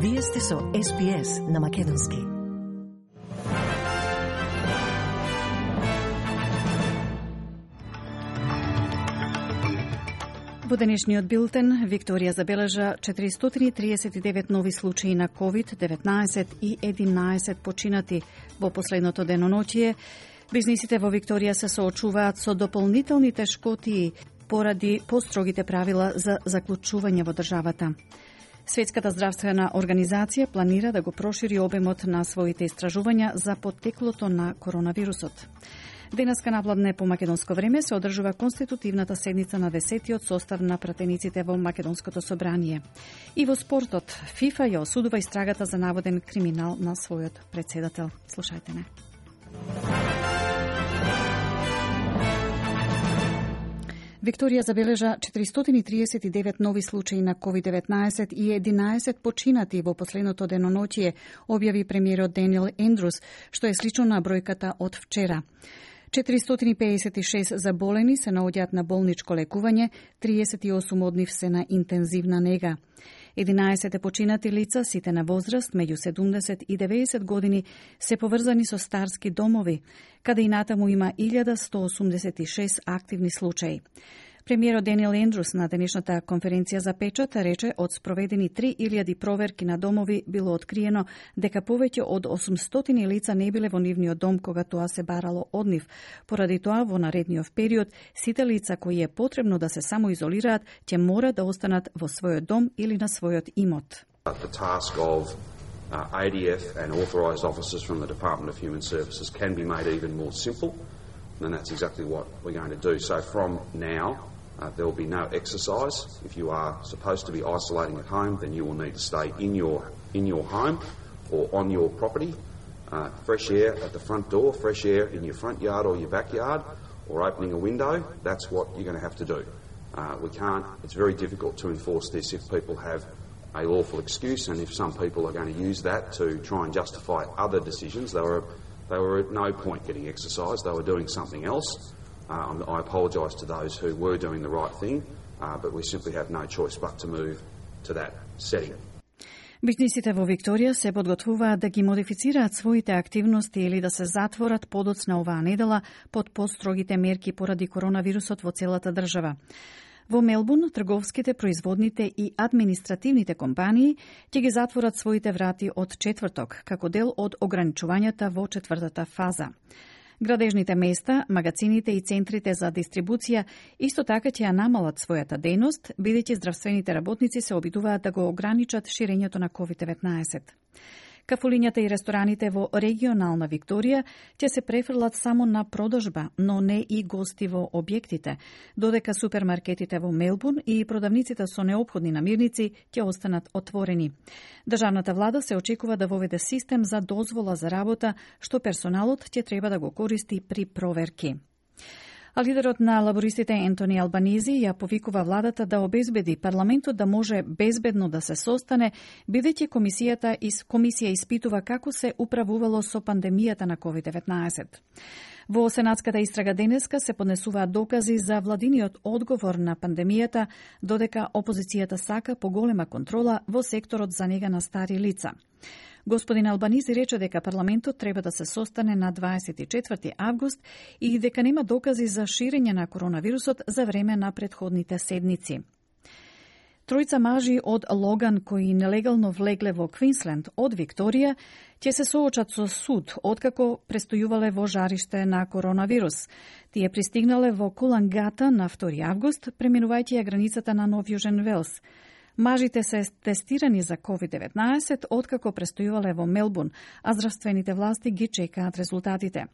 Вие сте со SBS на Македонски. Во денешниот билтен, Викторија забележа 439 нови случаи на COVID-19 и 11 починати во последното деноноќие. Бизнисите во Викторија се соочуваат со дополнителни тешкотии поради построгите правила за заклучување во државата. Светската здравствена организација планира да го прошири обемот на своите истражувања за поттеклото на коронавирусот. Денеска навладне по македонско време се одржува конститутивната седница на 10-тиот состав на пратениците во Македонското собрание. И во спортот, ФИФА ја осудува истрагата за наводен криминал на својот председател. Слушајте ме. Викторија забележа 439 нови случаи на COVID-19 и 11 починати во последното деноноќие, објави премиерот Даниел Ендрус, што е слично на бројката од вчера. 456 заболени се наоѓаат на болничко лекување, 38 од нив се на интензивна нега. 11 починати лица, сите на возраст меѓу 70 и 90 години, се поврзани со старски домови, каде и натаму има 1186 активни случаи. Премиерот Даниел Ендрус на денешната конференција за печат рече од спроведени 3000 проверки на домови било откриено дека повеќе од 800 лица не биле во нивниот дом кога тоа се барало од нив. Поради тоа, во наредниот период, сите лица кои е потребно да се самоизолираат, ќе мора да останат во својот дом или на својот имот. The task of ADF and authorised officers from the Department of Human Services can be made even more simple, and that's exactly what we're going to do. So from now, there will be no exercise. If you are supposed to be isolating at home, then you will need to stay in your home or on your property. Fresh air at the front door, fresh air in your front yard or your backyard, or opening a window, that's what you're going to have to do. It's very difficult to enforce this if people have a lawful excuse, and if some people are going to use that to try and justify other decisions. They were at no point getting exercise, they were doing something else. I apologise to those who were doing the right thing, but we simply have no choice but to move to that setting. Бизнисите во Викторија се подготвуваат да ги модифицираат своите активности или да се затворат подоцна оваа недела под построгите мерки поради коронавирусот во целата држава. Во Мелбурн, трговските, производните и административните компании ќе ги затворат своите врати од четврток, како дел од ограничувањата во четвртата фаза. Градежните места, магазините и центрите за дистрибуција исто така ќе ја намалат својата дејност, бидејќи здравствените работници се обидуваат да го ограничат ширењето на COVID-19. Кафулињата и рестораните во регионална Викторија ќе се префрлат само на продажба, но не и гости во објектите, додека супермаркетите во Мелбурн и продавниците со неопходни намирници ќе останат отворени. Државната влада се очекува да воведе систем за дозвола за работа, што персоналот ќе треба да го користи при проверки. А лидерот на лабористите Ентони Албанизи ја повикува владата да обезбеди парламентот да може безбедно да се состане, бидејќи комисија испитува како се управувало со пандемијата на COVID-19. Во сенатската истрага денеска се поднесуваат докази за владиниот одговор на пандемијата, додека опозицијата сака поголема контрола во секторот за нега на стари лица. Господин Албанизи рече дека парламентот треба да се состане на 24 август и дека нема докази за ширење на коронавирусот за време на претходните седници. Тројца мажи од Логан кои нелегално влегле во Квинсленд од Викторија ќе се соочат со суд откако престојувале во жариште на коронавирус. Тие пристигнале во Кулангата на 2 август, преминувајќи ја границата на Нов Јужен Велс. Мажите се тестирани за COVID-19 откако престојувале во Мелбурн, а здравствените власти ги чекаат резултатите.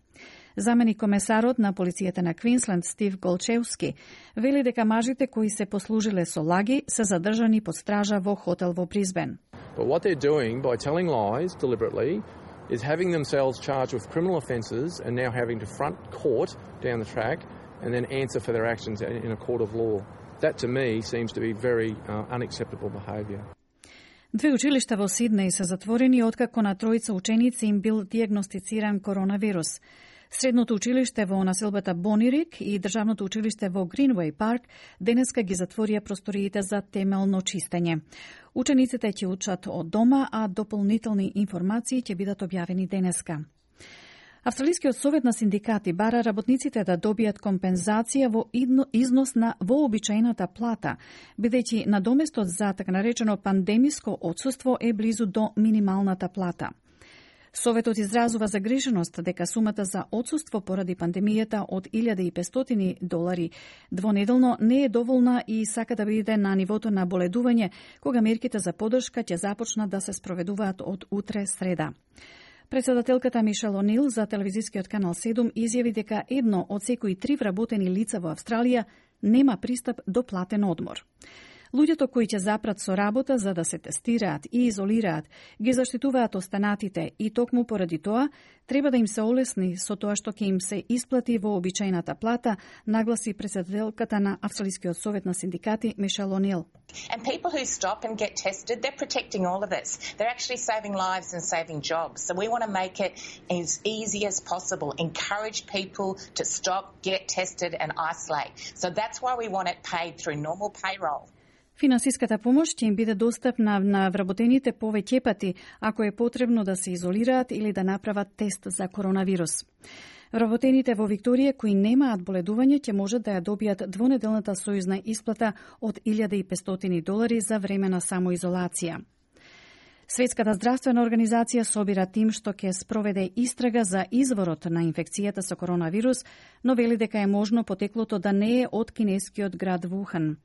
Заменик комесарот на полицијата на Квинсленд Стив Голчевски вели дека мажите кои се послужиле со лаги се задржани под стража во хотел во Брисбен. But what they're doing by telling lies deliberately is having themselves charged with criminal offences and now having to front court down the track and then answer for their actions in a court of law. That to me seems to be very unacceptable behaviour. Две училишта во Сиднеј се затворени откако на тројца ученици им бил диагностициран коронавирус. Средното училиште во населбата Бонирик и државното училиште во Гринвей парк денеска ги затворија просториите за темелно чистење. Учениците ќе учат од дома, а дополнителни информации ќе бидат објавени денеска. Австралискиот совет на синдикати бара работниците да добијат компензација во износ на вообичаената плата, бидејќи надоместот за така наречено пандемиско отсуство е близу до минималната плата. Советот изразува загриженост дека сумата за отсуство поради пандемијата од $1.500 двонеделно не е доволна и сака да биде на нивото на боледување, кога мерките за поддршка ќе започнат да се спроведуваат од утре среда. Председателката Мишел О'Нил за телевизискиот канал 7 изјави дека едно од секои 3 вработени лица во Австралија нема пристап до платен одмор. Луѓето кои ќе запрат со работа за да се тестираат и изолираат, ги заштитуваат останатите и токму поради тоа треба да им се олесни со тоа што ќе им се исплати во обичајната плата, нагласи председателката на Австралискиот совет на синдикати Мишел О'Нил. And people who stop and get tested, they're protecting all of us. They're actually saving lives and saving jobs. So we want to make it as easy as possible. Encourage people to stop, get tested and isolate. So that's why we want it paid through normal payroll. Финансиската помош ќе им биде достапна на вработените повеќе пати ако е потребно да се изолираат или да направат тест за коронавирус. Вработените во Викторија кои немаат боледување ќе можат да ја добијат двонеделната сојузна исплата од $1.500 за време на самоизолација. Светската здравствена организација собира тим што ќе спроведе истрага за изворот на инфекцијата со коронавирус, но вели дека е можно потеклото да не е од кинескиот град Вухан.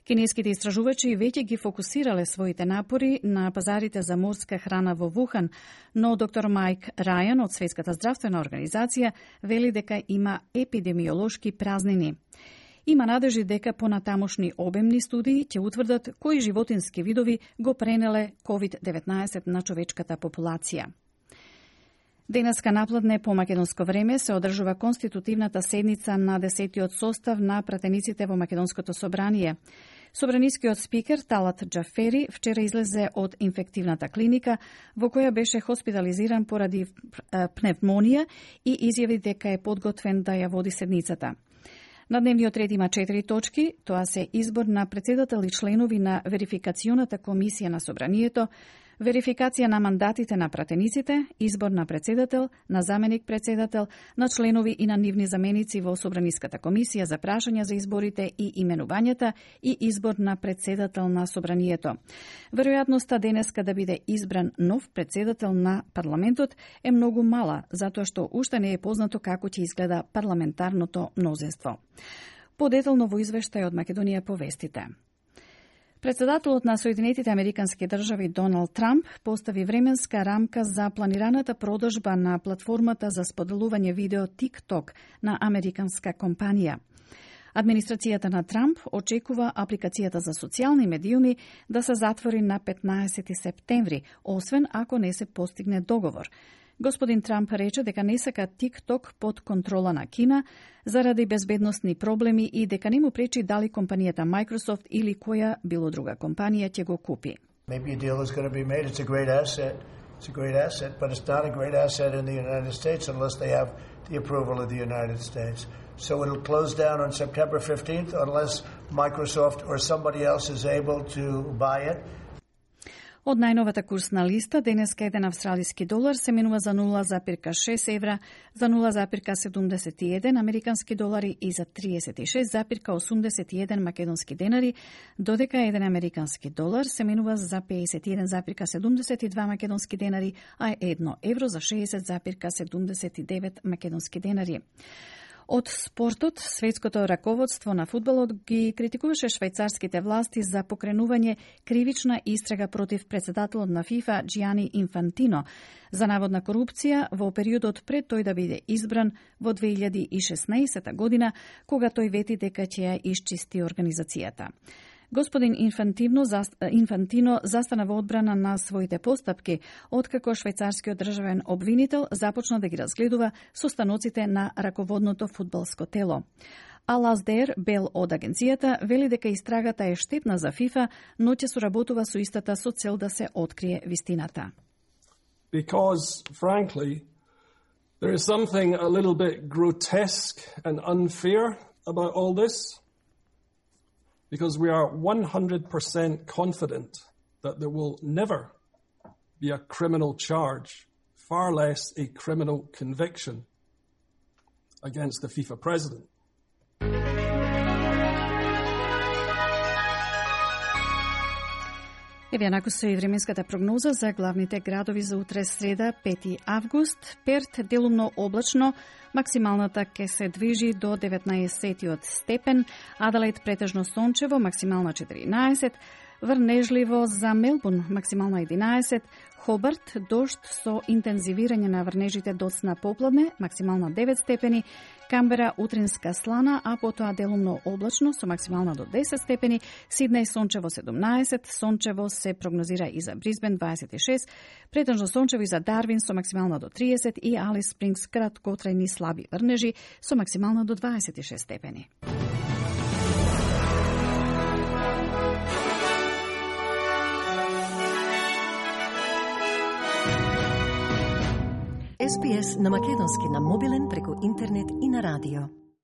Кинеските истражувачи веќе ги фокусирале своите напори на пазарите за морска храна во Вухан, но доктор Майк Рајан од Светската здравствена организација вели дека има епидемиолошки празнини. Има надежи дека понатамошни обемни студии ќе утврдат кои животински видови го пренеле COVID-19 на човечката популација. Денеска напладне по македонско време се одржува конститутивната седница на 10-тиот состав на пратениците во Македонското собрание. Собранискиот спикер Талат Џафери вчера излезе од инфективната клиника во која беше хоспитализиран поради пневмонија и изјави дека е подготвен да ја води седницата. На дневниот ред има 4 точки, тоа се избор на председател и членови на верификационата комисија на собранието, верификација на мандатите на пратениците, избор на председател, на заменик председател, на членови и на нивни заменици во Собраниската комисија за прашања за изборите и именувањата и избор на председател на собранието. Веројатноста денеска да биде избран нов председател на парламентот е многу мала, затоа што уште не е познато како ќе изгледа парламентарното мнозинство. Подетално во извештај од Македонија по вестите. Председателот на Соединетите Американски држави Доналд Трамп постави временска рамка за планираната продажба на платформата за споделување видео TikTok на американска компанија. Администрацијата на Трамп очекува апликацијата за социјални медиуми да се затвори на 15 септември, освен ако не се постигне договор. Господин Трамп рече дека не сака TikTok под контрола на Кина заради безбедносни проблеми и дека не му пречи дали компанијата Microsoft или која било друга компанија ќе го купи. Maybe a deal is going to be made. It's a great asset. It's a great asset, but it's not a great asset in the United States unless they have the approval of the United States. So it'll close down on September 15th unless Microsoft or somebody else is able to buy it. Од најновата курсна листа, денеска еден австралиски долар се менува за 0,6 евра, за 0,71 американски долари и за 36,81 македонски денари, додека еден американски долар се менува за 51,72 македонски денари, а 1 евро за 60,79 македонски денари. Од спортот, светското раководство на фудбалот ги критикуваше швајцарските власти за покренување кривична истрага против председателот на ФИФА Џијани Инфантино за наводна корупција во периодот пред тој да биде избран во 2016 година, кога тој вети дека ќе ја исчисти организацијата. Господин Инфантино застана во одбрана на своите постапки, откако швајцарскиот државен обвинител започна да ги разгледува состаноците на раководното фудбалско тело. Алаздер Бел од агенцијата вели дека истрагата е штетна за ФИФА, но ќе соработува со истата со цел да се открие вистината. Because, frankly, There is something a little bit grotesque and unfair about all this, because we are 100% confident that there will never be a criminal charge, far less a criminal conviction against the FIFA president. Еве накусо и временската прогноза за главните градови за утре среда, 5 август. Перт делумно облачно, максималната ќе се движи до 19 степен, Аделаид претежно сончево, максимална 14, врнежливо за Мелбурн, максимална 11, Хобарт, дожд со интензивирање на врнежите доцна попладне, максимална 9 степени, Камбера утринска слана, а потоа делумно облачно со максимална до 10 степени, Сиднеј сончево 17, сончево се прогнозира и за Брисбен 26, претежно сончево и за Дарвин со максимална до 30 и Алис Спрингс краткотрајни слаби врнежи со максимална до 26 степени. SPS на македонски на мобилен преку интернет и на радио.